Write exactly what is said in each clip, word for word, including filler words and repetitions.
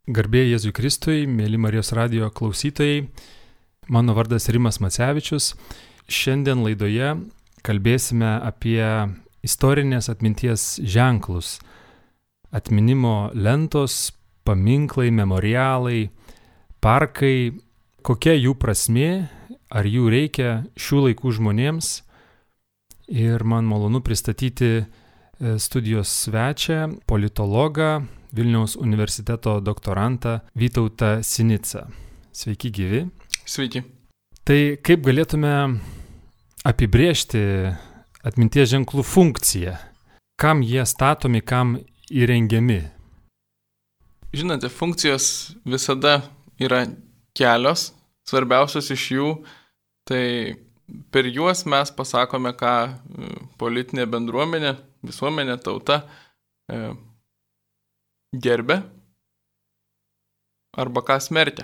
Garbė Jėzui Kristui, mėly Marijos radijo klausytojai, mano vardas Rimas Macevičius. Šiandien laidoje kalbėsime apie istorinės atminties ženklus. Atminimo lentos, paminklai, memorialai, parkai, kokia jų prasmė, ar jų reikia šių laikų žmonėms. Ir man malonu pristatyti studijos svečią, politologą, Vilniaus universiteto doktorantą Vytautą Sinicą. Sveiki gyvi. Sveiki. Tai kaip galėtume apibrėžti atminties ženklų funkciją? Kam jie statomi, kam įrengiami? Žinote, funkcijos visada yra kelios, svarbiausios iš jų, tai per juos mes pasakome, ką politinė bendruomenė, visuomenė, tauta e, gerbė arba ką smerkia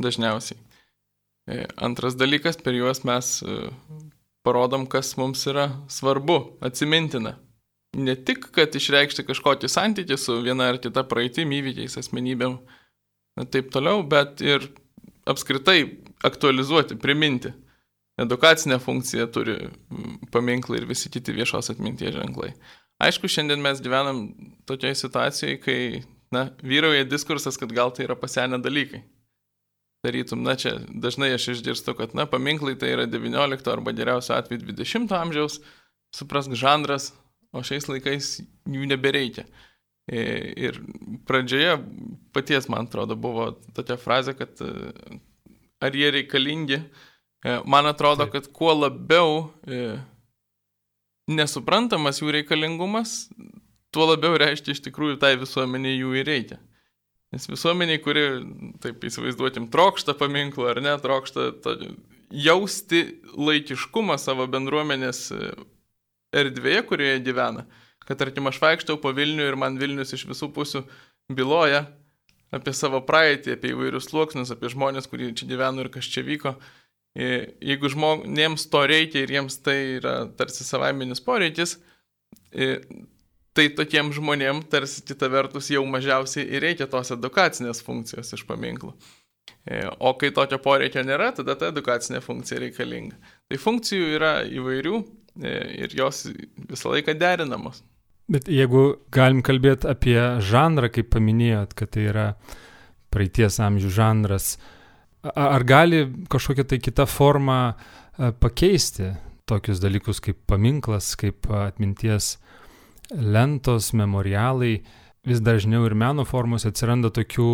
dažniausiai. E, antras dalykas, per juos mes e, parodom, kas mums yra svarbu, atsimintina. Ne tik, kad išreikšti kažkokį santykį su viena ar kita praeitim, įvykiais, asmenybėm, taip toliau, bet ir apskritai aktualizuoti, priminti. Edukacinę funkciją turi paminklai ir visi kiti viešos atminties ženklai. Aišku, šiandien mes gyvenam tokioje situacijoje, kai na, vyrauja diskursas, kad gal tai yra pasenę dalykai. Tarytum, na čia dažnai aš išgirstu, kad na, paminklai tai yra devyniolikto arba geriausio atveju dvidešimto amžiaus, suprask, žanras, o šiais laikais jų nebereikia. Ir pradžioje paties, man atrodo, buvo tokia frazė, kad ar jie reikalingi. Man atrodo, kad kuo labiau nesuprantamas jų reikalingumas, tuo labiau reiškia iš tikrųjų tai visuomeniai jų ir reikia. Nes visuomeniai, kuri, taip įsivaizduotim, trokšta paminklų ar ne, trokšta to, jausti laikiškumą savo bendruomenės erdvėje, kurioje gyvena. Kad, tarkim, aš vaikštau po Vilnių ir man Vilnius iš visų pusių byloja apie savo praeitį, apie įvairius sluoksnius, apie žmonės, kurie čia gyveno ir kas čia vyko. Jeigu žmonėms to reikia ir jiems tai yra tarsi savaiminis poreikis, tai tokiem žmonėm tarsi kita vertus jau mažiausiai ir reikia tos edukacinės funkcijos iš paminklų. O kai tokio poreikio nėra, tada ta edukacinė funkcija reikalinga. Tai funkcijų yra įvairių ir jos visą laiką derinamos. Bet jeigu galim kalbėti apie žanrą, kaip paminėjot, kad tai yra praeities amžių žanras, ar gali kažkokia tai kita forma pakeisti tokius dalykus kaip paminklas, kaip atminties lentos, memorialai? Vis dažniau ir meno formos atsiranda tokių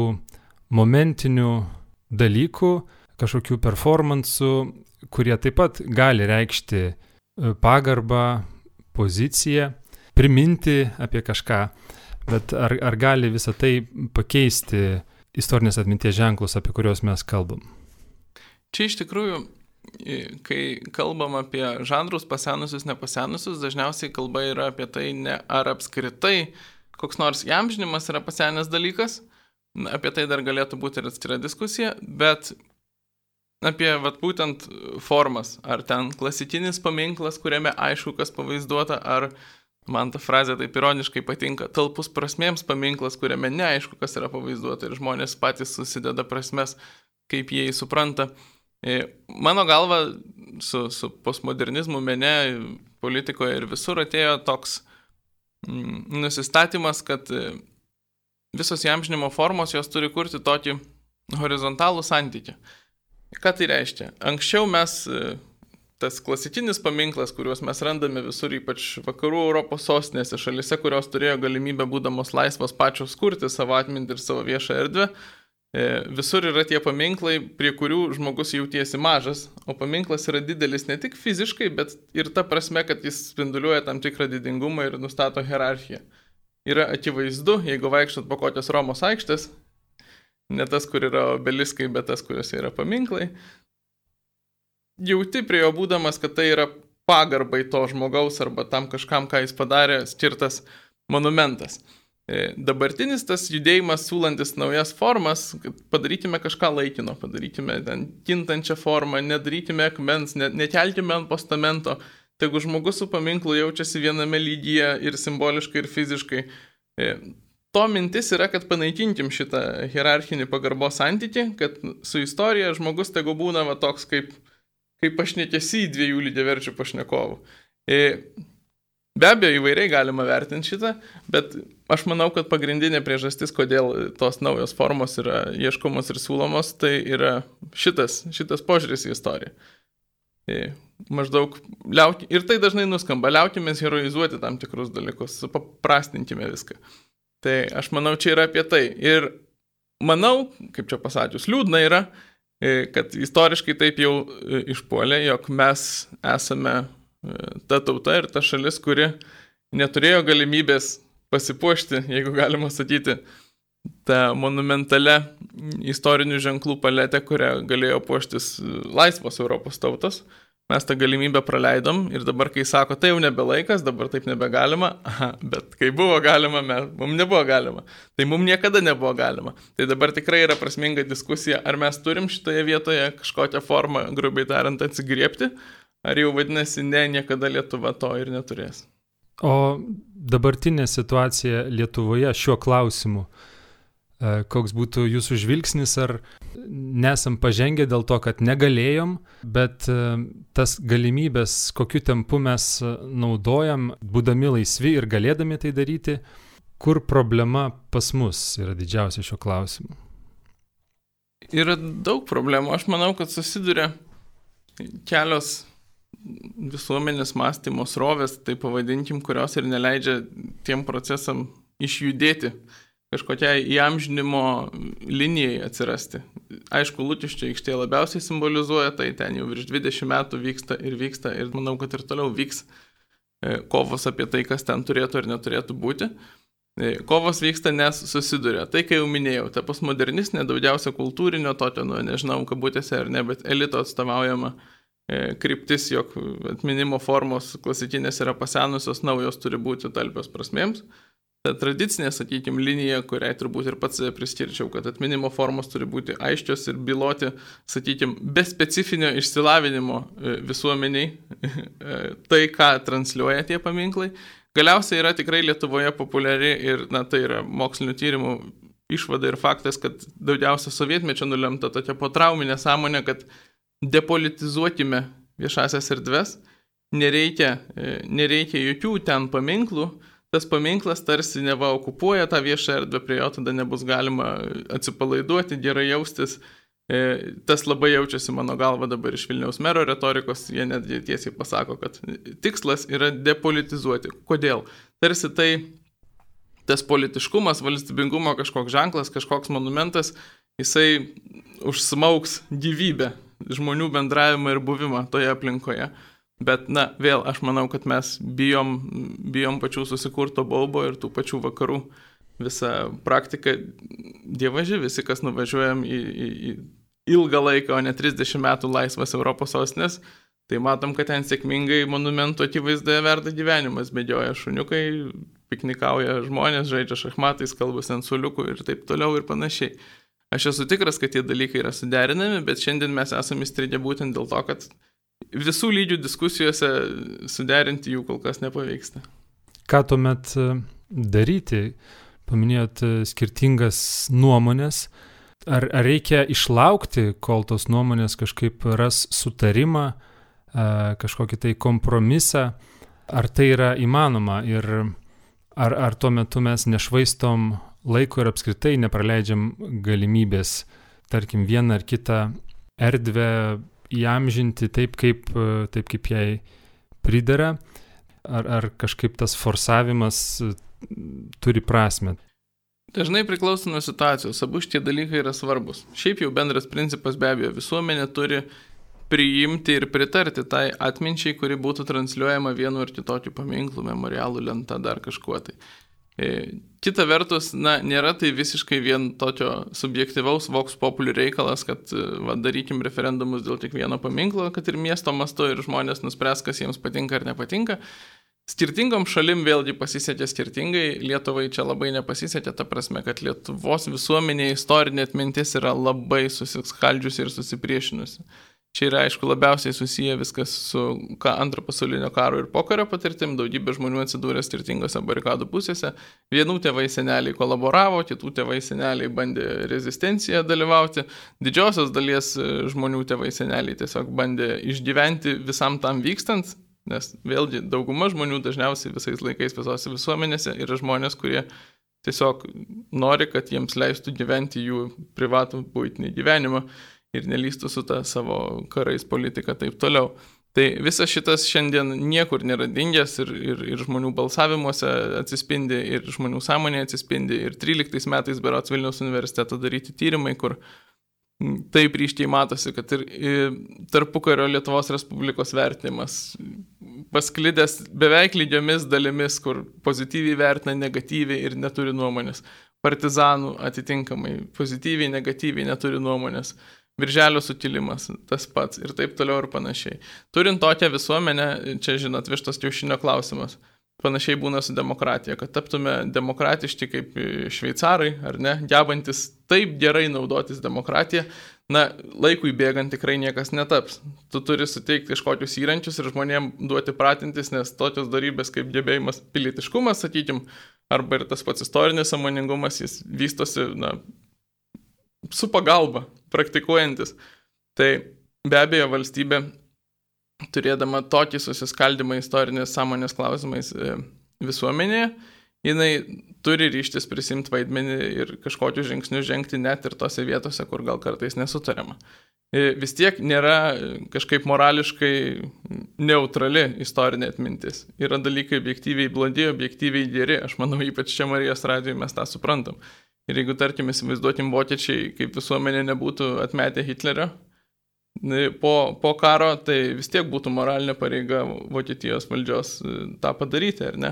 momentinių dalykų, kažkokių performansų, kurie taip pat gali reikšti pagarbą, poziciją, priminti apie kažką. Bet ar, ar gali visą tai pakeisti istorinės atminties ženklus, apie kuriuos mes kalbam? Čia iš tikrųjų, kai kalbam apie žanrus pasenusius, nepasenusius, dažniausiai kalba yra apie tai, ne ar apskritai koks nors įamžinimas yra pasenęs dalykas, apie tai dar galėtų būti ir atskira diskusija, bet apie vat, būtent formas, ar ten klasikinis paminklas, kuriame aišku, kas pavaizduota, ar man ta frazė taip ironiškai patinka, talpus prasmėms paminklas, kuriame neaišku, kas yra pavaizduota ir žmonės patys susideda prasmes, kaip jie jį supranta. Mano galva, su, su postmodernizmu mene, politikoje ir visur atėjo toks mm, nusistatymas, kad visos įamžinimo formos jos turi kurti tokį horizontalų santykį. Ką tai reiškia? Anksčiau mes tas klasikinis paminklas, kuriuos mes randame visur, ypač vakarų Europos sostinėse, šalise, kurios turėjo galimybę būdamos laisvos pačios kurti savo atmintį ir savo viešą erdvę, visur yra tie paminklai, prie kurių žmogus jautiesi mažas, o paminklas yra didelis ne tik fiziškai, bet ir ta prasme, kad jis spinduliuoja tam tikrą didingumą ir nustato hierarchiją. Yra akivaizdu, jeigu vaikštot po kokios Romos aikštės, ne tas, kur yra obeliskai, bet tas, kuriuose yra paminklai, jauti prie jo būdamas, kad tai yra pagarbai to žmogaus arba tam kažkam, ką jis padarė, skirtas monumentas. Dabartinis tas judėjimas siūlantis naujas formas, kad padarykime kažką laikino, padarykime ten kintančią formą, nedarykime akmens, ne, nekelkime ant postamento, tegu žmogus su paminklu jaučiasi viename lygyje ir simboliškai, ir fiziškai. to mintis yra, kad panaikinkim šitą hierarchinį pagarbos santykį, kad su istorija žmogus tegu būna va toks kaip, kaip pašnekėsi dviejų lygiaverčių pašnekovų. Be abejo, įvairiai galima vertinti šitą, bet aš manau, kad pagrindinė priežastis, kodėl tos naujos formos yra ieškomos ir siūlomos, tai yra šitas, šitas požiūris į istoriją. Maždaug liauti, ir tai dažnai nuskamba, liaukimės heroizuoti tam tikrus dalykus, paprastinkime viską. Tai aš manau, čia yra apie tai. Ir manau, kaip čia pasakius, liūdna yra, kad istoriškai taip jau išpuolė, jog mes esame ta tauta ir ta šalis, kuri neturėjo galimybės pasipuošti, jeigu galima sakyti, tą monumentalę istorinių ženklų paletę, kurią galėjo puoštis laisvos Europos tautos. Mes tą galimybę praleidom ir dabar, kai sako, tai jau nebelaikas, dabar taip nebegalima, aha, bet kai buvo galima, mes, mums nebuvo galima. Tai mums niekada nebuvo galima. Tai dabar tikrai yra prasminga diskusija, ar mes turim šitoje vietoje kažkokią formą, grubiai tariant, atsigriepti, ar jau vadinasi, ne, niekada Lietuva to ir neturės. O dabartinė situacija Lietuvoje šiuo klausimu, koks būtų jūsų žvilgsnis, ar nesam pažengę dėl to, kad negalėjom, bet tas galimybės, kokiu tempu mes naudojam, būdami laisvi ir galėdami tai daryti, kur problema pas mus yra didžiausia šiuo klausimu? Yra daug problemų. Aš manau, kad susiduria kelios visuomenės mąstymo srovės, tai pavadinkim, kurios ir neleidžia tiem procesam išjudėti, kažkokiai įamžinimo linijai atsirasti. Aišku, Lukiškių aikštė labiausiai simbolizuoja, tai ten jau virš dvidešimt metų vyksta ir vyksta ir manau, kad ir toliau vyks kovos apie tai, kas ten turėtų ir neturėtų būti. Kovos vyksta, nes susiduria. Tai, kai jau minėjau, ta postmodernistinė, daugiausia kultūrinio, tokio, nu, nežinau, kabutėse ar ne, bet elito atstovaujama kryptis, jog atminimo formos klasikinės yra pasenusios, naujos turi būti talpios prasmėms. Ta tradicinė, sakykime, linija, kuriai turbūt ir pats priskirčiau, kad atminimo formos turi būti aiškios ir byloti, sakykime, be specifinio išsilavinimo visuomeniai tai, ką transliuoja tie paminklai. Galiausiai yra tikrai Lietuvoje populiari ir, na, tai yra mokslinių tyrimų išvada ir faktas, kad daugiausia sovietmečio nulemta tokia potrauminė sąmonė, kad depolitizuokime viešasias erdves, nereikia, nereikia jokių ten paminklų, tas paminklas tarsi neva okupuoja tą viešą erdvę, prie jo tada nebus galima atsipalaiduoti, gerai jaustis. Tas labai jaučiasi mano galva dabar iš Vilniaus mero retorikos, jie netgi tiesiai pasako, kad tikslas yra depolitizuoti. Kodėl? Tarsi tai tas politiškumas, valstybingumo kažkoks ženklas, kažkoks monumentas, jisai užsmauks gyvybę, žmonių bendravimą ir buvimą toje aplinkoje. Bet, na, vėl, aš manau, kad mes bijom, bijom pačių susikurto baubo ir tų pačių vakarų visą praktiką. Dievaži, visi, kas nuvažiuojam į, į, į ilgą laiką, o ne trisdešimt metų laisvas Europos sostinės, tai matom, kad ten sėkmingai monumentų akivaizdoje verda gyvenimas, bėgioja šuniukai, piknikauja žmonės, žaidžia šachmatais, kalbasi ant suoliukų ir taip toliau ir panašiai. Aš esu tikras, kad tie dalykai yra suderinami, bet šiandien mes esame įstrigę būtent dėl to, kad visų lygių diskusijose suderinti jų kol kas nepavyksta. Ką tuomet daryti? Paminėjot skirtingas nuomonės. Ar, ar reikia išlaukti, kol tos nuomonės kažkaip ras sutarimą, kažkokį tai kompromisą? Ar tai yra įmanoma? Ir ar, ar tuo metu mes nešvaistom laiko ir apskritai nepraleidžiam galimybės, tarkim, vieną ar kitą erdvę įamžinti taip, kaip, taip, kaip jai pridera, ar, ar kažkaip tas forsavimas turi prasmę? Dažnai priklauso nuo situacijos, abu šitie dalykai yra svarbus. Šiaip jau bendras principas be abejo, visuomenė turi priimti ir pritarti tai atminčiai, kuri būtų transliuojama vienu ar kitokiu paminklu, memorialų, lenta, dar kažkuo tai. Kita vertus, na, nėra tai visiškai vien tokio subjektyvaus vox populi reikalas, kad va, darykim referendumus dėl kiekvieno paminklo, kad ir miesto mastu ir žmonės nuspręs, kas jiems patinka ar nepatinka. Skirtingom šalim vėlgi pasisekė skirtingai, Lietuvai čia labai nepasisekė, ta prasme, kad Lietuvos visuomenė istorinė atmintis yra labai susiskaldžiusi ir susipriešinusi. Čia yra, aišku, labiausiai susiję viskas su ką antro pasaulinio karo ir pokario patirtim, daugybė žmonių atsidūrė skirtingose barikadų pusėse. Vienų tėvai seneliai kolaboravo, kitų tėvai seneliai bandė rezistenciją dalyvauti, didžiosios dalies žmonių tėvai seneliai tiesiog bandė išgyventi visam tam vykstant, nes vėlgi dauguma žmonių dažniausiai visais laikais visose visuomenėse yra žmonės, kurie tiesiog nori, kad jiems leistų gyventi jų privatų buitinį gyvenimą ir nelystų su ta savo karais politika taip toliau. Tai visas šitas šiandien niekur nėra dingęs ir, ir, ir žmonių balsavimuose atsispindi, ir žmonių sąmonėje atsispindi. Ir tryliktais metais berods Vilniaus universiteto daryti tyrimai, kur taip ryškiai matosi, kad ir tarpukario Lietuvos Respublikos vertinimas pasklidęs beveik lygiomis dalimis, kur pozityviai vertina, negatyviai ir neturi nuomonės. Partizanų atitinkamai pozityviai, negatyviai neturi nuomonės. Birželio sukilimas, tas pats ir taip toliau ir panašiai. Turint tokią visuomenę, čia žinot, vištos kiaušinio klausimas. Panašiai būna su demokratija, kad taptume demokratiški kaip šveicarai, ar ne, gebantis taip gerai naudotis demokratiją, na, laikui bėgant tikrai niekas netaps. Tu turi suteikti kažkokius įrankius ir žmonėms duoti pratintis, nes tokios darybės kaip gebėjimas pilietiškumas, sakykim, arba ir tas pats istorinis sąmoningumas, jis vystosi, na, su pagalba, praktikuojantis. Tai be abejo valstybė, turėdama tokį susiskaldymą istorinės sąmonės klausimais visuomenėje, jinai turi ryžtis prisimti vaidmenį ir kažkokius žingsnius žengti net ir tose vietose, kur gal kartais nesutariama. Vis tiek nėra kažkaip morališkai neutrali istorinė atmintis. Yra dalykai objektyviai blogi, objektyviai geri. Aš manau, ypač čia Marijos radijoje mes tą suprantam. Ir jeigu, tarkim, įsivaizduokim vokiečiai, kaip visuomenė nebūtų atmetę Hitlerio, Po, po karo, tai vis tiek būtų moralinė pareiga Vokietijos valdžios tą padaryti, ar ne?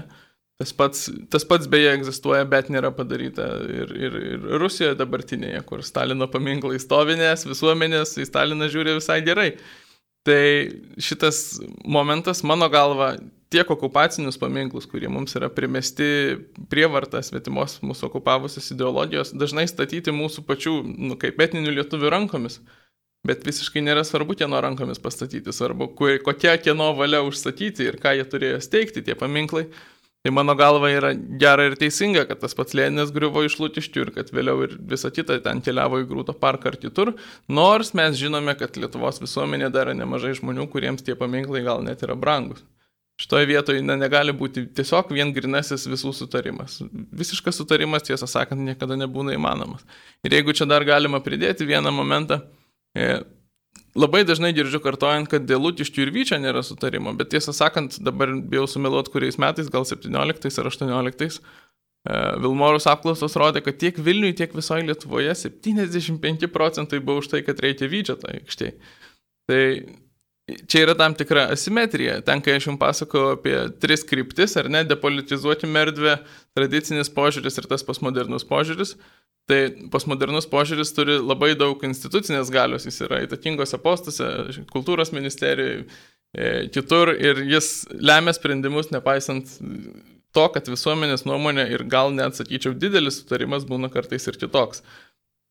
Tas pats, tas pats beje egzistuoja, bet nėra padaryta ir, ir, ir Rusijoje dabartinėje, kur Stalino paminklai stovinės, visuomenės į Staliną žiūri visai gerai. Tai šitas momentas, mano galva, tiek okupacinius paminklus, kurie mums yra primesti prievarta svetimos mūsų okupavusios ideologijos, dažnai statyti mūsų pačių, nu, kaip etninių lietuvių rankomis. Bet visiškai nėra svarbu kieno rankomis pastatyti, svarbu, kokia kieno valia užstatyti ir ką jie turėjo steigti, tie paminklai. Tai mano galva yra gera ir teisinga, kad tas pats Leninas griuvo iš Lukiškių ir kad vėliau ir visa kita ten keliavo į Grūto parką ar kitur, nors mes žinome, kad Lietuvos visuomenė dar nemažai žmonių, kuriems tie paminklai gal net yra brangus. Šitoje vietoje ne, negali būti tiesiog vien grinasis visų sutarimas. Visiškas sutarimas, tiesą sakant, niekada nebūna įmanomas. Ir jeigu čia dar galima pridėti vieną momentą, labai dažnai girdžiu kartojant, kad dėl Lukiškių ir Vyčio nėra sutarimo, bet tiesą sakant, dabar bijau sumeluoti kuriais metais, gal septynioliktais ar aštuonioliktais, Vilmorus apklausos rodė, kad tiek Vilniui, tiek visoje Lietuvoje septyniasdešimt penki procentai buvo už tai, kad reikia Vyčio tai aikštėje. Tai čia yra tam tikra asimetrija. Ten, kai aš jums pasakau apie tris kryptis, ar ne, depolitizuoti erdvę, tradicinis požiūris ir tas postmodernus požiūris, tai postmodernus požiūris turi labai daug institucinės galios, jis yra įtakingose postuose, kultūros ministerijoje, kitur ir jis lemia sprendimus, nepaisant to, kad visuomenės nuomonė ir gal net, sakyčiau, didelis sutarimas būna kartais ir kitoks.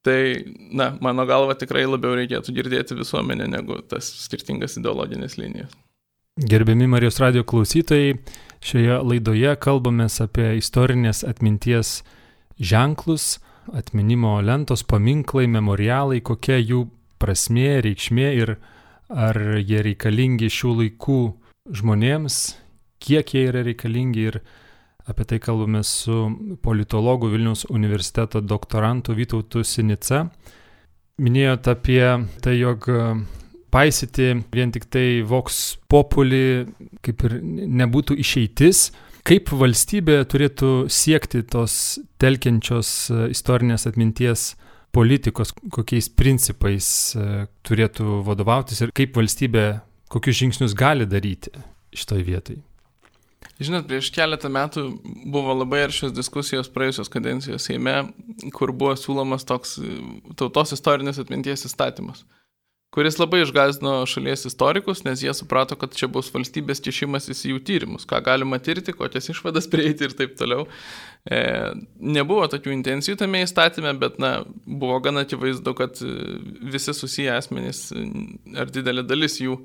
Tai, na, mano galva tikrai labiau reikėtų girdėti visuomenę negu tas skirtingas ideologinės linijas. Gerbiami Marijos radijo klausytojai, šioje laidoje kalbamės apie istorinės atminties ženklus, atminimo lentos, paminklai, memorialai, kokia jų prasmė, reikšmė ir ar jie reikalingi šių laikų žmonėms, kiek jie yra reikalingi ir apie tai kalbame su politologu Vilniaus universiteto doktorantu Vytautu Sinica. Minėjote apie tai, jog paisyti vien tik tai vox populi kaip ir nebūtų išeitis. Kaip valstybė turėtų siekti tos telkiančios istorinės atminties politikos, kokiais principais turėtų vadovautis ir kaip valstybė, kokius žingsnius gali daryti šitoj vietai? Žinot, prieš keletą metų buvo labai aršios diskusijos praėjusios kadencijos Seime, kur buvo siūlomas toks tautos istorinės atminties įstatymas. kuris labai išgąsdino šalies istorikus, nes jie suprato, kad čia bus valstybės kišimasis į jų tyrimus, ką galima tirti, kokias išvadas prieiti ir taip toliau. E, nebuvo tokių intencijų tame įstatyme, bet na, buvo gana akivaizdu, kad visi susiję asmenys ar didelė dalis jų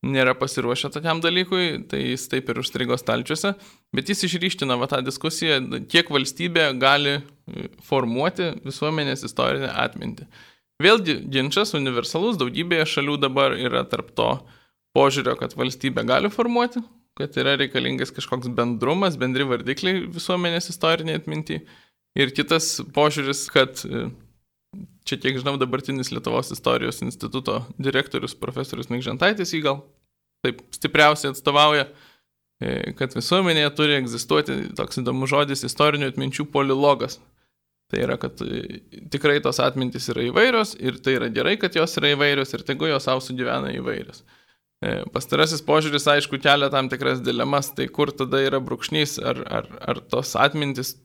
nėra pasiruošę tokiam dalykui, tai jis taip ir užstrigo stalčiuose, bet jis išryškina va tą diskusiją, kiek valstybė gali formuoti visuomenės istorinę atmintį. Vėlgi ginčas universalus, daugybėje šalių dabar yra tarp to požiūrio, kad valstybė gali formuoti, kad yra reikalingas kažkoks bendrumas, bendri vardikliai visuomenės istorinė atminti. Ir kitas požiūris, kad čia, kiek žinau, dabartinis Lietuvos istorijos instituto direktorius profesorius Nikžentaitis jį gal taip stipriausiai atstovauja, kad visuomenėje turi egzistuoti toks įdomus žodis istorinių atminčių polilogas. Tai yra, kad tikrai tos atmintys yra įvairios ir tai yra gerai, kad jos yra įvairios ir tegu jos savo sugyvena įvairios. Pastarasis požiūris, aišku, kelia tam tikras dilemas, tai kur tada yra brūkšnys, ar, ar, ar tos atmintys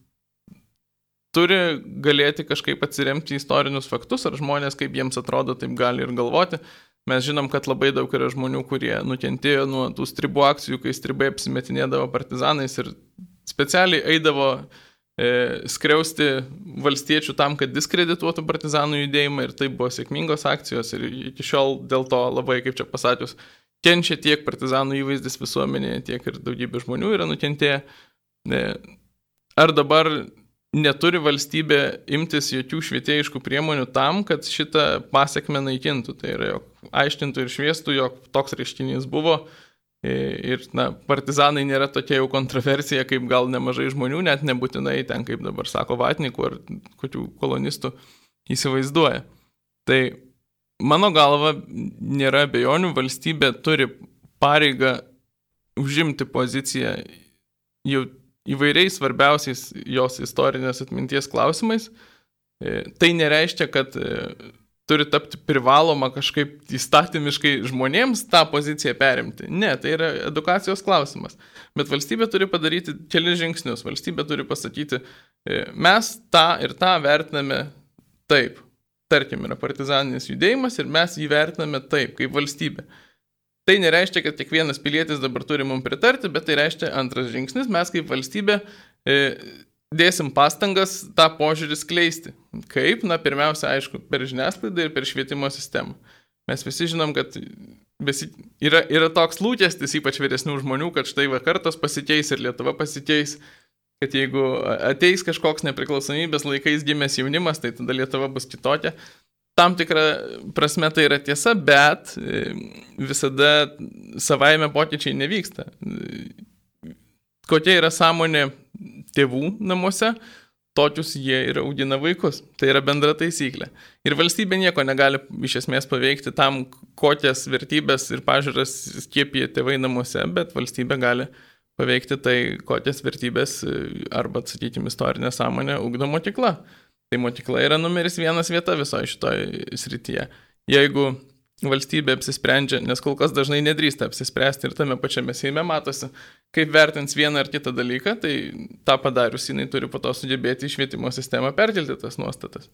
turi galėti kažkaip atsiremti į istorinius faktus, ar žmonės, kaip jiems atrodo, taip gali ir galvoti. Mes žinom, kad labai daug yra žmonių, kurie nukentėjo nuo tų stribų akcijų, kai stribai apsimetinėdavo partizanais ir specialiai eidavo skriausti valstiečių tam, kad diskredituotų partizanų judėjimą ir tai buvo sėkmingos akcijos ir iki šiol dėl to labai, kaip čia pasakius, kenčia tiek partizanų įvaizdis visuomenėje, tiek ir daugybė žmonių yra nukentėję. Ar dabar neturi valstybė imtis jokių švietėjiškų priemonių tam, kad šitą pasekmę naikintų? Tai yra, jog aiškintų ir šviestų, jog toks reiškinys buvo. Ir na, partizanai nėra tokia jau kontroversija, kaip gal nemažai žmonių, net nebūtinai ten, kaip dabar sako vatnikų ar kokių kolonistų įsivaizduoja. Tai mano galva nėra abejonių, valstybė turi pareigą užimti poziciją jau įvairiais svarbiausiais jos istorinės atminties klausimais. Tai nereiškia, kad turi tapti privaloma kažkaip įstatymiškai žmonėms tą poziciją perimti. Ne, tai yra edukacijos klausimas. Bet valstybė turi padaryti kelis žingsnius. Valstybė turi pasakyti, mes tą ir tą vertiname taip. Tarkim, yra partizaninis judėjimas ir mes jį vertiname taip, kaip valstybė. Tai nereiškia, kad kiekvienas pilietis dabar turi mums pritarti, bet tai reiškia antras žingsnis. Mes kaip valstybė dėsim pastangas tą požiūrį skleisti. Kaip? Na, pirmiausia, aišku, per žiniasklaidą ir per švietimo sistemą. Mes visi žinom, kad besi, yra, yra toks lūkestis, ypač vyresnių žmonių, kad štai va kartos pasikeis ir Lietuva pasikeis, kad jeigu ateis kažkoks nepriklausomybės laikais gimęs jaunimas, tai tada Lietuva bus kitokia. Tam tikra prasme tai yra tiesa, bet visada savaime pokyčiai nevyksta. Kokia yra sąmonė tėvų namuose, tokius jie ir augina vaikus. Tai yra bendra taisyklė. Ir valstybė nieko negali iš esmės paveikti tam, kokias vertybės ir pažiūras skiepija tėvai namuose, bet valstybė gali paveikti tai, kokias vertybės arba, sakykime, istorinė sąmonė ugdo mokykla. Tai mokykla yra numeris vienas vieta visoje šitoje srityje. Jeigu valstybė apsisprendžia, nes kol kas dažnai nedrįsta apsispręsti ir tame pačiame Seime matosi, kaip vertins vieną ar kitą dalyką, tai tą padarius jinai turi po to sugebėti į švietimo sistemą perkelti tas nuostatas.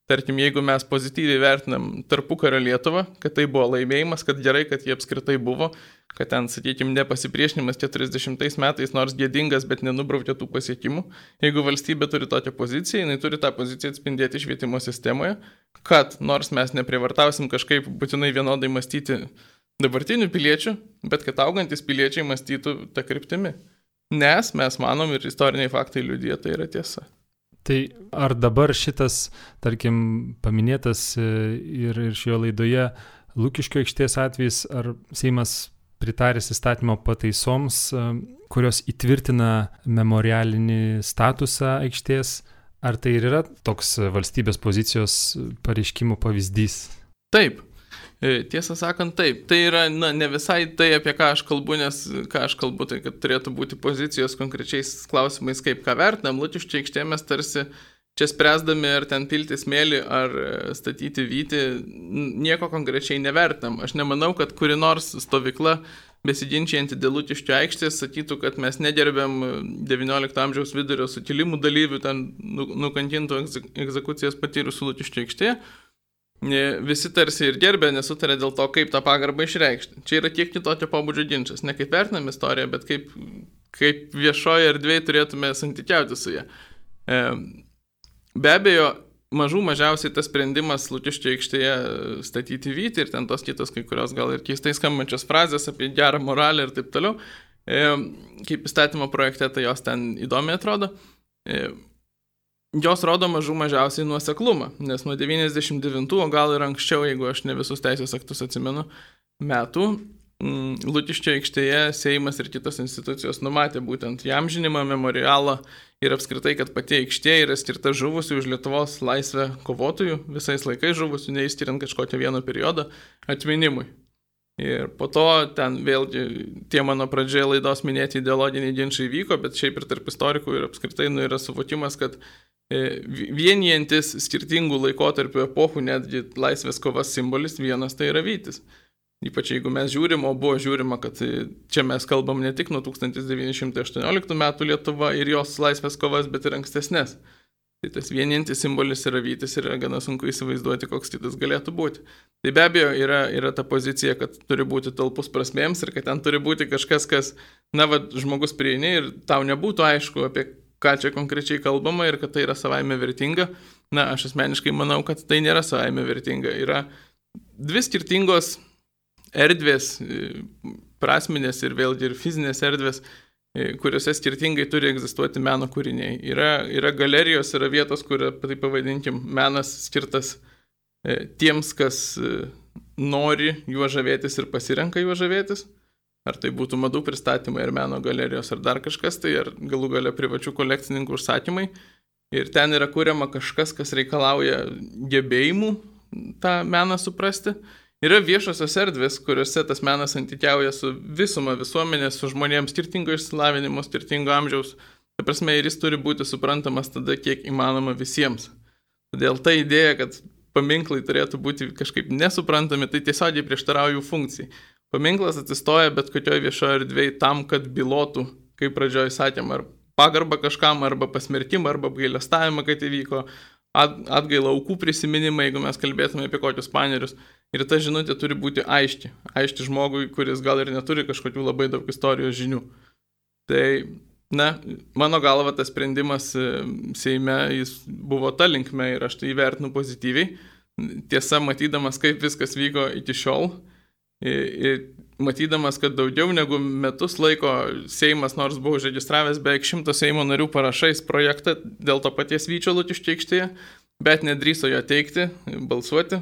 Tarkim, jeigu mes pozityviai vertinam tarpukario Lietuvą, kad tai buvo laimėjimas, kad gerai, kad jie apskritai buvo, kad ten, sakykime, nepasipriešinimas keturiasdešimtais metais, nors gėdingas, bet nenubraukė tų pasiekimų. Jeigu valstybė turi tokią poziciją, jinai turi tą poziciją atspindėti švietimo sistemoje, kad nors mes neprivartausim kažkaip būtinai vienodai mąstyti dabartinių piliečių, bet kad augantis piliečiai mąstytų tą kryptimi. Nes mes manom ir istoriniai faktai liudija, tai yra tiesa. Tai ar dabar šitas, tarkim, paminėtas ir, ir šioje laidoje Lukiškių aikštės atvejis, ar Seimas pritaręs įstatymo pataisoms, kurios įtvirtina memorialinį statusą aikštės, ar tai ir yra toks valstybės pozicijos pareiškimų pavyzdys? Taip. Tiesą sakant, taip. Tai yra na, ne visai tai, apie ką aš kalbu, nes ką aš kalbu, tai kad turėtų būti pozicijos konkrečiais klausimais, kaip ką vertinam. Lukiškių aikštė mes tarsi čia spręsdami, ar ten pilti smėlį, ar statyti vytį, nieko konkrečiai nevertinam. Aš nemanau, kad kuri nors stovykla besiginčianti dėl Lukiškių aikštės sakytų, kad mes negerbėm devyniolikto amžiaus vidurio sukilimų dalyvių, ten nukankintų egzekucijas patyrusių Lukiškių aikštėje. visi tarsi ir gerbė, nesutarė dėl to, kaip tą pagarbą išreikšti. Čia yra kiek kitokio pobūdžio ginčas. Ne kaip vertinam istoriją, bet kaip, kaip viešoje erdvėje turėtume santykiauti su ją. Be abejo, mažų mažiausiai tas sprendimas Lukiškių aikštėje statyti vytį ir ten tos kitos kai kurios gal ir keistai skambančios frazės apie gerą moralę ir taip toliau. Kaip įstatymo projekte, tai jos ten įdomiai atrodo. Jos rodo mažų mažiausiai nuoseklumą, nes nuo devyniasdešimt devintų, o gal ir anksčiau, jeigu aš ne visus teisės aktus atsimenu, metų, Lukiškių aikštėje Seimas ir kitos institucijos numatė būtent įamžinimą, memorialą ir apskritai, kad pati aikštė yra skirta žuvusių už Lietuvos laisvę kovotojų, visais laikais žuvusių, neįskiriant kažkokio vieno periodo atminimui. Ir po to ten vėlgi tie mano pradžioje laidos minėti ideologiniai ginčiai vyko, bet šiaip ir tarp istorikų ir apskritai nu, yra suvokimas, kad vienijantis skirtingų laikotarpių epochų netgi laisvės kovas simbolis vienas tai yra vytis. Ypač jeigu mes žiūrim, o buvo žiūrima, kad čia mes kalbam ne tik nuo tūkstantis devyni šimtai aštuonioliktų metų Lietuva ir jos laisvės kovas, bet ir ankstesnės. Tai tas vienijantis simbolis yra vytis ir yra gana sunku įsivaizduoti, koks kitas galėtų būti. Tai be abejo yra, yra ta pozicija, kad turi būti talpus prasmėms ir kad ten turi būti kažkas, kas, na, va, žmogus prieini ir tau nebūtų aišku, apie ką čia konkrečiai kalbama ir kad tai yra savaime vertinga. Na, aš asmeniškai manau, kad tai nėra savaime vertinga. Yra dvi skirtingos erdvės, prasminės ir vėlgi ir fizinės erdvės, kuriuose skirtingai turi egzistuoti meno kūriniai. Yra, yra galerijos, yra vietos, kur, tai pavadinkim, menas skirtas tiems, kas nori juo žavėtis ir pasirenka juo žavėtis. Ar tai būtų madų pristatymai, ar meno galerijos, ar dar kažkas, tai ar galų gale privačių kolekcininkų užsakymai. Ir ten yra kuriama kažkas, kas reikalauja gebėjimų tą meną suprasti. Yra viešosios erdvės, kuriuose tas menas santykiauja su visuma visuomenės, su žmonėms skirtingo išsilavinimo, skirtingo amžiaus. Ta prasme, ir jis turi būti suprantamas tada, kiek įmanoma visiems. Todėl ta idėja, kad paminklai turėtų būti kažkaip nesuprantami, tai tiesiogiai prieštarauja jų funkcijai. Paminklas atsistoja bet kokioje viešoje erdvėje tam, kad bylotų, kaip pradžioje sakėm, ar pagarbą kažkam, arba pasmerkimą, arba apgailestavimą, kad įvyko, atgailą aukų prisiminimą, jeigu mes kalbėtume apie kokius panerius. Ir ta žinutė turi būti aiški. Aiški žmogui, kuris gal ir neturi kažkokių labai daug istorijos žinių. Tai, na, mano galva tas sprendimas Seime, jis buvo ta linkme ir aš tai įvertinu pozityviai. Tiesa, matydamas, kaip viskas vyko iki šiol, ir matydamas, kad daugiau negu metus laiko Seimas, nors buvo užregistravęs beveik šimto Seimo narių parašais projektą dėl to paties vyčio Lukiškių aikštėje, bet nedrįso jo teikti, balsuoti.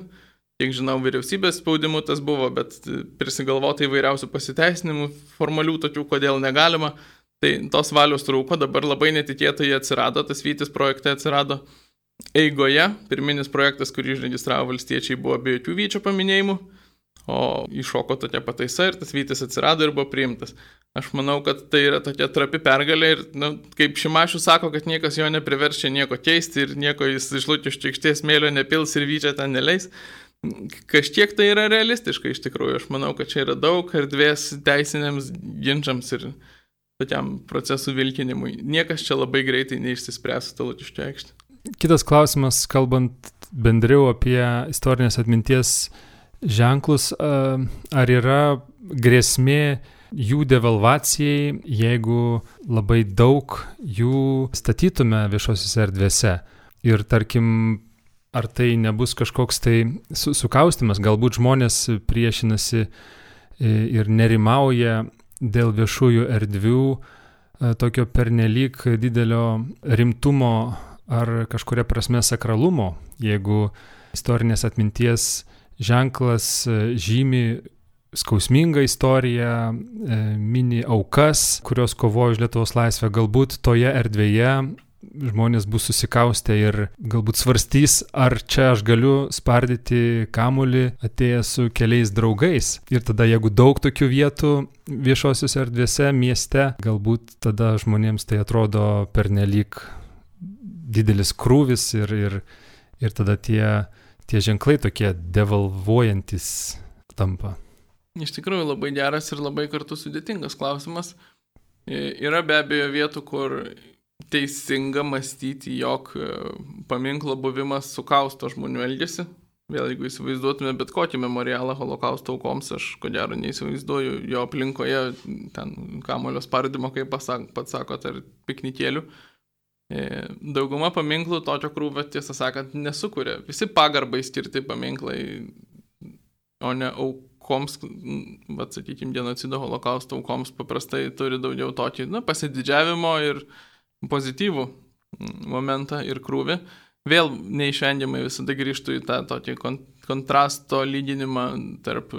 Kiek žinau, vyriausybės spaudimu tas buvo, bet prisigalvota įvairiausių pasiteisinimų, formalių tokių, kodėl negalima. Tai tos valios trūko, dabar labai netikėtai atsirado, tas vytis projekte atsirado eigoje. Pirminis projektas, kurį išregistravo valstiečiai, buvo be jokių vyčio paminėjimų. O iššoko tokia pataisa ir tas vytis atsirado ir buvo priimtas. Aš manau, kad tai yra tokia trapi pergalė ir, nu, kaip Šimašius sako, kad niekas jo nepriverčia nieko keisti ir nieko jis iš Lukiškių aikštės smėlio nepils ir vyčia ten neleis. Kažkiek tai yra realistiška iš tikrųjų. Aš manau, kad čia yra daug erdvės teisiniams ginčiams ir tokiam procesų vilkinimui. Niekas čia labai greitai neišsispręs su Lukiškių aikšte. Kitas klausimas, kalbant bendriau apie istorinės atminties ženklus, ar yra grėsmė jų devalvacijai, jeigu labai daug jų statytume viešosiuose erdvėse. Ir tarkim, ar tai nebus kažkoks tai sukaustimas, galbūt žmonės priešinasi ir nerimauja dėl viešųjų erdvių tokio pernelyg didelio rimtumo ar kažkuria prasme sakralumo, jeigu istorinės atminties ženklas žymi skausmingą istoriją, mini aukas, kurios kovojo už Lietuvos laisvę, galbūt toje erdvėje žmonės bus susikaustę ir galbūt svarstys, ar čia aš galiu spardyti kamuolį atėjęs su keliais draugais. Ir tada, jeigu daug tokių vietų viešosiuose erdvėse mieste, galbūt tada žmonėms tai atrodo pernelyg didelis krūvis ir, ir, ir tada tie tie ženklai tokie devalvuojantis tampa. Iš tikrųjų labai geras ir labai kartu sudėtingas klausimas. Yra be abejo vietų, kur teisinga mąstyti, jog paminklo buvimas sukausto žmonių elgesį. vėl jeigu įsivaizduotume bet kokį memorialą holokausto aukoms, aš ko gero neįsivaizduoju jo aplinkoje, ten kamulio spardymo, kaip pats sakot, ar piknikėlių. Dauguma paminklų tokio krūvio, tiesą sakant, nesukuria. Visi pagarbai skirti paminklai, o ne aukoms, bet, sakykime, genocido holokausto aukoms paprastai turi daugiau tokį, na, pasididžiavimo ir pozityvų momentą ir krūvį. Vėl neišvengiamai visada grįžtų į tą tokį kontrasto lyginimą tarp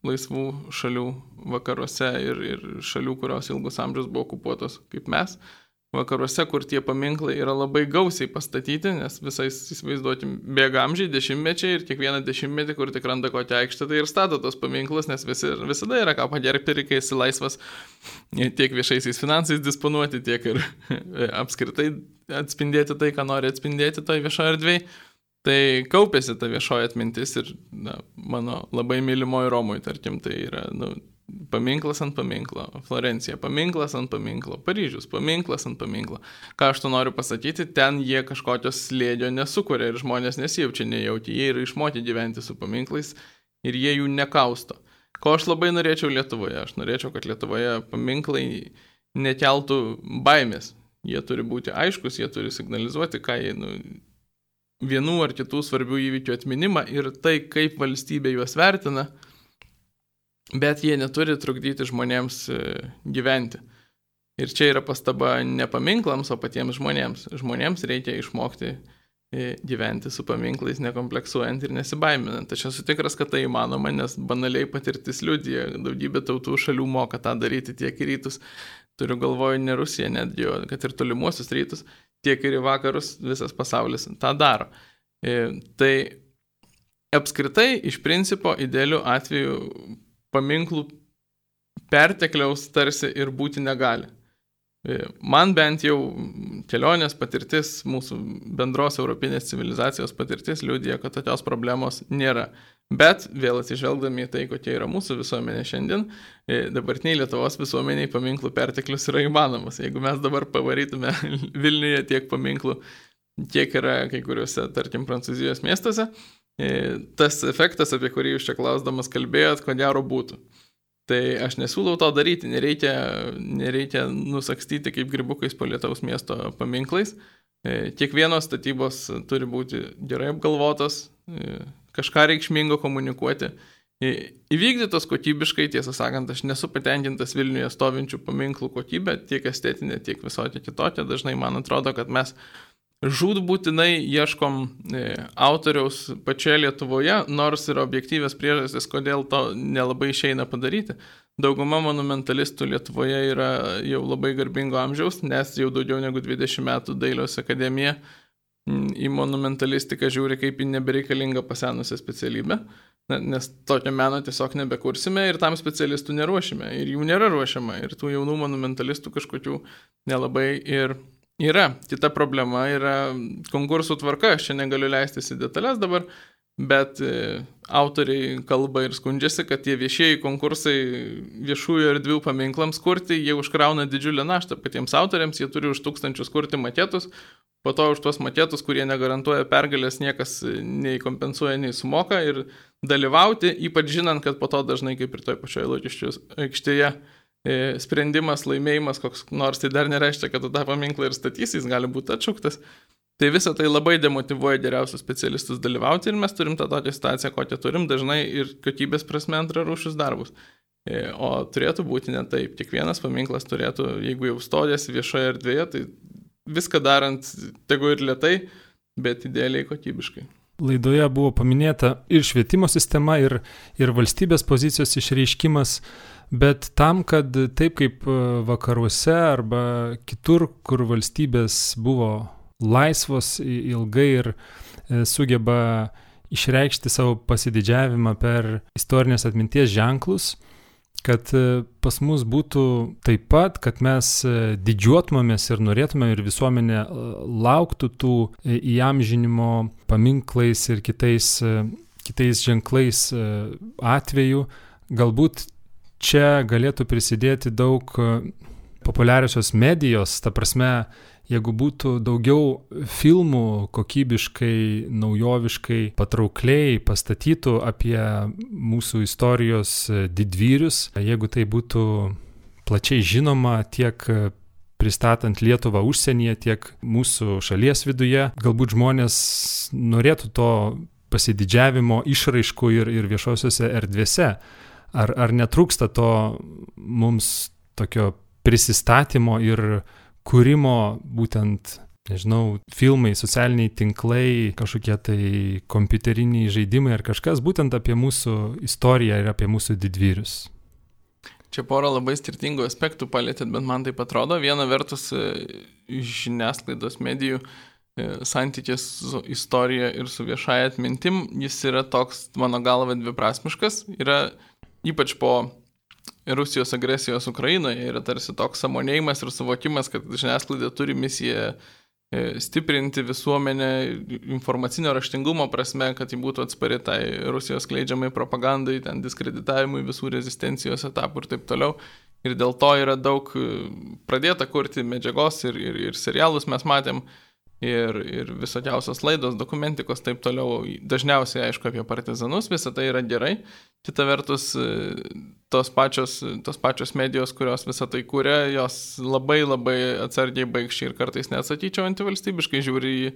laisvų šalių vakaruose ir, ir šalių, kurios ilgus amžius buvo okupuotos kaip mes. Vakaruose, kur tie paminklai yra labai gausiai pastatyti, nes visais, įsivaizduotim, bėga amžiai, dešimtmečiai ir kiekvieną dešimtmetį, kur tik randa kokią aikštę, tai ir stato tos paminklus, nes visi, visada yra ką pagerbti, reikia esi laisvas tiek viešaisiais finansais disponuoti, tiek ir apskritai atspindėti tai, ką nori atspindėti toj viešoje erdvėje. Tai kaupėsi ta viešoji atmintis ir na, mano labai mylimoji Romui, tarkim, tai yra nu, paminklas ant paminklo, Florencija, paminklas ant paminklo, Paryžius, paminklas ant paminklo. Ką aš to noriu pasakyti, ten jie kažkokios slėdžio nesukuria ir žmonės nesijaučia nejauti, jie yra išmokti gyventi su paminklais ir jie jų nekausto. Ko aš labai norėčiau Lietuvoje? Aš norėčiau, kad Lietuvoje paminklai nekeltų baimės. Jie turi būti aiškus, jie turi signalizuoti, ką jie, nu, vienų ar kitų svarbių įvykių atminimą ir tai, kaip valstybė juos vertina, bet jie neturi trukdyti žmonėms gyventi. Ir čia yra pastaba ne paminklams, o patiems žmonėms. Žmonėms reikia išmokti gyventi su paminklais, nekompleksuojant ir nesibaiminant. Aš esu tikras, kad tai įmanoma, nes banaliai patirtis liudija, daugybė tautų šalių moka tą daryti tiek į rytus. Turiu galvoju ne Rusiją netgi, kad ir tolimuosius rytus, tiek ir į vakarus visas pasaulis tą daro. Tai apskritai iš principo idealiu atveju paminklų pertekliaus tarsi ir būti negali. Man bent jau kelionės patirtis, mūsų bendros europinės civilizacijos patirtis liudija, kad tokios problemos nėra. Bet vėl atsižvelgdami į tai, kokia yra mūsų visuomenė šiandien, dabartiniai Lietuvos visuomeniai paminklų perteklius yra įmanomas. Jeigu mes dabar pavarytume Vilniuje tiek paminklų, kiek yra kai kuriuose, tarkim, Prancūzijos miestuose, tas efektas, apie kurį jūs čia klausdamas kalbėjot, ko gero būtų. Tai aš nesiūlau to daryti, nereikia, nereikia nusakstyti kaip grybukais po Lietuvos miesto paminklais. Kiekvienos statybos turi būti gerai apgalvotos, kažką reikšmingo komunikuoti. Įvykdytos kokybiškai, tiesą sakant, aš nesu patenkintas Vilniuje stovinčių paminklų kokybę, tiek estetinė, tiek visokia kitokia. Dažnai man atrodo, kad mes žūtbūtinai ieškom autoriaus pačioje Lietuvoje, nors yra objektyvės priežastys, kodėl to nelabai išeina padaryti. Dauguma monumentalistų Lietuvoje yra jau labai garbingo amžiaus, nes jau daugiau negu dvidešimt metų Dailės akademija į monumentalistiką žiūri kaip į nebereikalingą pasenusią specialybę, nes tokio meno tiesiog nebekursime ir tam specialistų neruošime. Ir jų nėra ruošiama. Ir tų jaunų monumentalistų kažkokių nelabai ir yra. Kita problema yra konkursų tvarka. Aš čia negaliu leistis į detalės dabar, bet autoriai kalba ir skundžiasi, kad tie viešieji konkursai viešųjų erdvių paminklams kurti, jie užkrauna didžiulę naštą patiems autoriams, jie turi už tūkstančius kurti maketus, po to už tuos maketus, kurie negarantuoja pergalės, niekas nei kompensuoja, nei sumoka ir dalyvauti, ypač žinant, kad po to dažnai kaip ir toj pačioje Lukiškių aikštėje sprendimas, laimėjimas, koks nors tai dar nereiškia, kad tu tą paminklą ir statysi, jis gali būti atšauktas. Tai visą tai labai demotyvuoja geriausius specialistus dalyvauti ir mes turim tą tokią situaciją, kokią turim, dažnai ir kokybės prasme antrarūšius darbus. O turėtų būti ne taip. Kiekvienas paminklas turėtų, jeigu jau stojasi viešoje erdvėje, tai viską darant, tegu ir lėtai, bet idealiai kokybiškai. Laidoje buvo paminėta ir švietimo sistema, ir, ir valstybės pozicijos išreiškimas, bet tam, kad taip kaip vakaruose arba kitur, kur valstybės buvo laisvos ilgai ir sugeba išreikšti savo pasididžiavimą per istorinės atminties ženklus, kad pas mus būtų taip pat, kad mes didžiuotumėmės ir norėtume ir visuomenė lauktų tų įamžinimo paminklais ir kitais, kitais ženklais atveju. Galbūt čia galėtų prisidėti daug populiariosios medijos, ta prasme, jeigu būtų daugiau filmų kokybiškai, naujoviškai, patraukliai pastatytų apie mūsų istorijos didvyrius, jeigu tai būtų plačiai žinoma tiek pristatant Lietuvą užsienyje, tiek mūsų šalies viduje, galbūt žmonės norėtų to pasididžiavimo išraiškų ir, ir viešosiuose erdvėse. Ar, ar netrūksta to mums tokio prisistatymo ir kūrimo būtent, nežinau, filmai, socialiniai tinklai, kažkokie tai kompiuteriniai žaidimai ar kažkas būtent apie mūsų istoriją ir apie mūsų didvyrius? Čia porą labai skirtingų aspektų palėtėt, bet man taip atrodo. Viena vertus žiniasklaidos medijų santykis su istorija ir su viešąja atmintim, jis yra toks, mano galva, dviprasmiškas. Yra ypač po Rusijos agresijos Ukrainoje, yra tarsi toks sąmonėjimas ir suvokimas, kad žiniasklaida turi misiją stiprinti visuomenę informacinio raštingumo prasme, kad ji būtų atspari tai Rusijos skleidžiamai propagandai, ten diskreditavimui visų rezistencijos etapų ir taip toliau. Ir dėl to yra daug pradėta kurti medžiagos ir, ir, ir serialus mes matėm, ir, ir visokiausios laidos, dokumentikos, taip toliau. Dažniausiai, aišku, apie partizanus, visa tai yra gerai. Kita vertus, tos pačios, tos pačios medijos, kurios visą tai kūrė, jos labai labai atsargiai baigščiai ir kartais net sakyčiau antivalstybiškai žiūri į,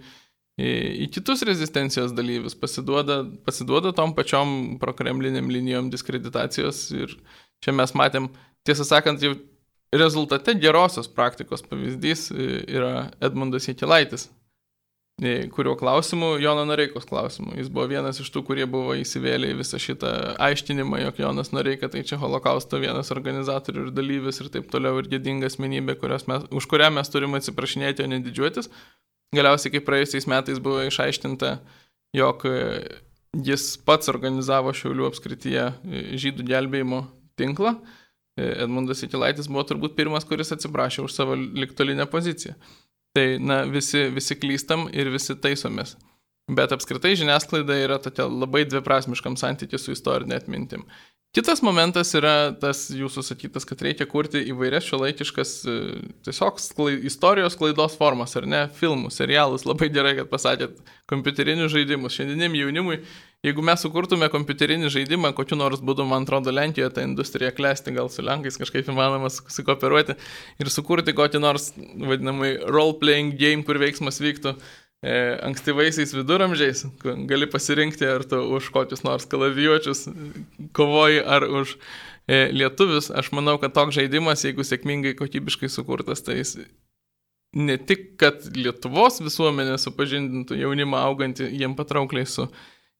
į, į kitus rezistencijos dalyvius, pasiduoda, pasiduoda tom pačiom prokremliniam linijom diskreditacijos. Ir čia mes matėm, tiesą sakant, jau rezultate gerosios praktikos pavyzdys yra Edmundas Jakilaitis, kurio klausimų, Jono Noreikos klausimų. Jis buvo vienas iš tų, kurie buvo įsivėlę į visą šitą aiškinimą, jog Jonas Noreika tai čia holokausto vienas organizatorių ir dalyvis ir taip toliau ir gėdinga asmenybė, mes, už kurią mes turime atsiprašinėti, o ne didžiuotis. Galiausiai, kaip praėjusiais metais buvo išaiškinta, jog jis pats organizavo Šiaulių apskrityje žydų gelbėjimo tinklą. Edmundas Jakilaitis buvo turbūt pirmas, kuris atsiprašė už savo ligtolinę poziciją. Tai, na, visi, visi klystam ir visi taisomės. Bet apskritai žiniasklaida yra tokia labai dviprasmiškam santykiu su istorinė atmintim. Kitas momentas yra tas jūsų sakytas, kad reikia kurti įvairias šiuolaikiškas tiesiog sklai, istorijos klaidos formas, ar ne, filmus, serialus, labai gerai, kad pasakėt, kompiuterinius žaidimus. Šiandieniam jaunimui, jeigu mes sukurtume kompiuterinį žaidimą, kokiu nors būdu, man atrodo, Lenkijoje ta industrija klesti, gal su Lenkais kažkaip įmanoma susikooperuoti ir sukurti kokį nors, vadinamai, role-playing game, kur veiksmas vyktų e, ankstyvaisiais viduramžiais, gali pasirinkti, ar tu už kokius nors kalavijuočius kovoji, ar už e, lietuvius. Aš manau, kad toks žaidimas, jeigu sėkmingai kokybiškai sukurtas, tai jis ne tik, kad Lietuvos visuomenė supažindintų jaunimą augantį jiem patraukliai su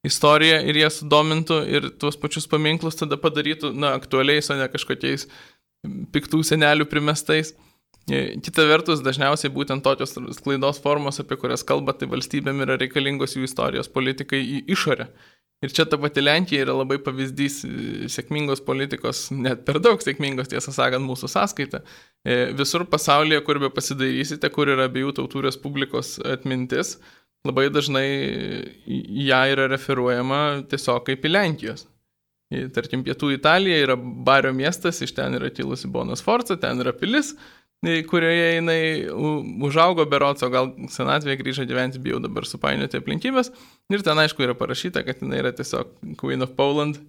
istorija ir jie sudomintų ir tuos pačius paminklus tada padarytų, na, aktualiais, o ne kažkokiais piktų senelių primestais. Kita vertus, dažniausiai būtent tokios sklaidos formos, apie kurias kalba, tai valstybėm yra reikalingos jų istorijos politikai į išorę. Ir čia ta pati Lenkija yra labai pavyzdys sėkmingos politikos, net per daug sėkmingos, tiesą sakant, mūsų sąskaita. Visur pasaulyje, kur be pasidairysite, kur yra abiejų tautų respublikos atmintis, labai dažnai ją yra referuojama tiesiog kaip į Lenkijos. Tarkim, pietų Italija yra Bario miestas, iš ten yra kilusi Bona Sforza, ten yra pilis, kurioje jinai užaugo beroco, gal senatvėje grįžo gyventi, bijau dabar supainioti aplinkybės. Ir ten aišku yra parašyta, kad jinai yra tiesiog Queen of Poland,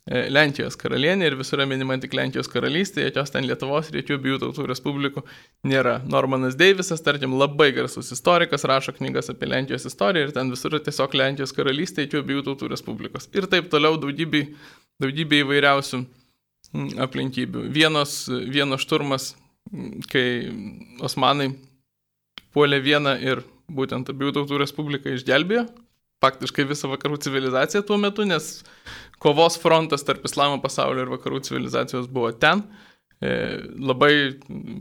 Lenkijos karalienė ir visur minima tik Lenkijos karalystė, jokios ten Lietuvos ir jokių abiejų tautų respublikų nėra. Normanas Deivisas, tarkim, labai garsus istorikas, rašo knygas apie Lenkijos istoriją ir ten visur tiesiog Lenkijos karalystė, jokių abiejų tautų respublikos. Ir taip toliau daugybė, daugybė įvairiausių aplinkybių. Vienos, vienos šturmas, kai osmanai puolė vieną ir būtent abiejų tautų respubliką išgelbėjo, faktiškai visą vakarų civilizaciją tuo metu, nes kovos frontas tarp islamo pasaulio ir vakarų civilizacijos buvo ten. E, labai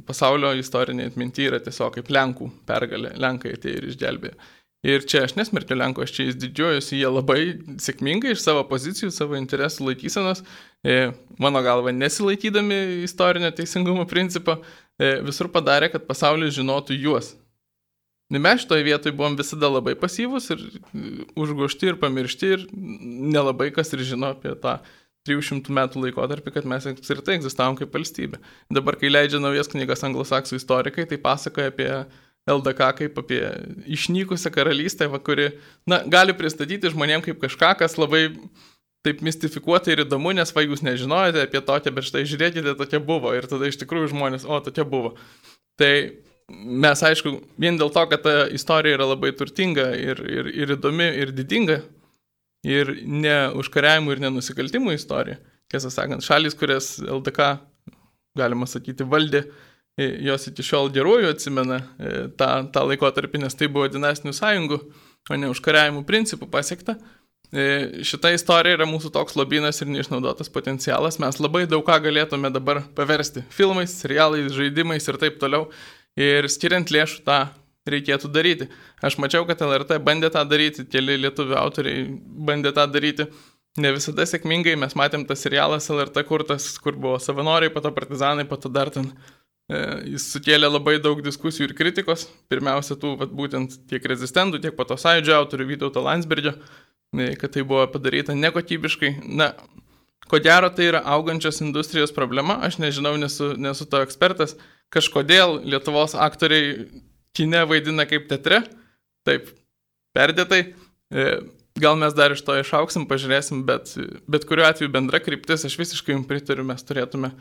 pasaulio istorinė atminty yra tiesiog kaip Lenkų pergalė. Lenkai atėjo ir išgelbėjo. Ir čia aš nesmerkiu Lenkų, aš čia jais didžiuojuosi, jie labai sėkmingai iš savo pozicijų, savo interesų laikysenos, e, mano galva nesilaikydami istorinio teisingumo principo, e, visur padarė, kad pasaulis žinotų juos. Mes šitoje vietoje buvom visada labai pasyvus ir užgošti ir pamiršti ir nelabai kas ir žino apie tą trijų šimtų metų laikotarpį, kad mes apskritai egzistavom kaip valstybė. Dabar, kai leidžia naujas knygas anglosaksų istorikai, tai pasakoja apie L D K kaip apie išnykusią karalystę, va, kuri na, gali pristatyti žmonėm kaip kažką, kas labai taip mistifikuota ir įdomu, nes va jūs nežinojate apie tokią, bet štai žiūrėkite, tokia buvo. Ir tada iš tikrųjų žmonės, o tokia buvo. Tai mes, aišku, vien dėl to, kad ta istorija yra labai turtinga ir, ir, ir įdomi ir didinga, ir ne užkariavimų ir nenusikaltimų istorija. Tiesą sakant, šalis, kurias L D K, galima sakyti, valdė, jos iki šiol geruoju atsimena tą, tą laikotarpį, nes tai buvo dinastinių sąjungų, o ne užkariavimų principų pasiekta. Šita istorija yra mūsų toks lobynas ir neišnaudotas potencialas. Mes labai daug ką galėtume dabar paversti filmais, serialais, žaidimais ir taip toliau. Ir skiriant lėšų tą reikėtų daryti. Aš mačiau, kad L R T bandė tą daryti, keli lietuvių autoriai bandė tą daryti. Ne visada sėkmingai, mes matėm tas serialas L R T kurtas, kur buvo savanoriai, po to partizanai, po to dar ten. Jis sukėlė labai daug diskusijų ir kritikos. Pirmiausia, tų vat, būtent tiek rezistentų, tiek po to sąjūdžio autorių Vytauto Landsbergio, kad tai buvo padaryta nekokybiškai. Na, ko gero tai yra augančios industrijos problema, aš nežinau, nesu, nesu to ekspertas. Kažkodėl Lietuvos aktoriai kine vaidina kaip teatre, taip, perdėtai. Gal mes dar iš to išauksim, pažiūrėsim, bet, bet kuriuo atveju bendra kryptis, aš visiškai jums pritariu, mes turėtume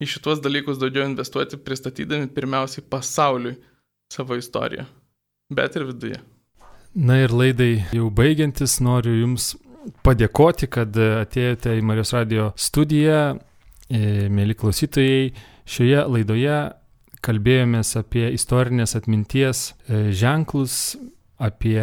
į šitos dalykus daugiau investuoti, pristatydami pirmiausiai pasauliui savo istoriją, bet ir viduje. Na ir laidai jau baigiantis, noriu Jums padėkoti, kad atėjote į Marijos radijo studiją. Mėly klausytojai, šioje laidoje kalbėjomės apie istorinės atminties ženklus, apie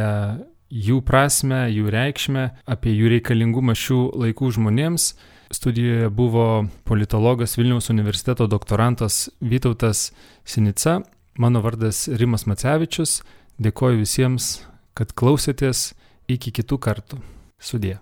jų prasmę, jų reikšmę, apie jų reikalingumą šių laikų žmonėms. Studijoje buvo politologas Vilniaus universiteto doktorantas Vytautas Sinica. Mano vardas Rimas Macevičius. Dėkoju visiems, kad klausėtės. Iki kitų kartų. Sudie.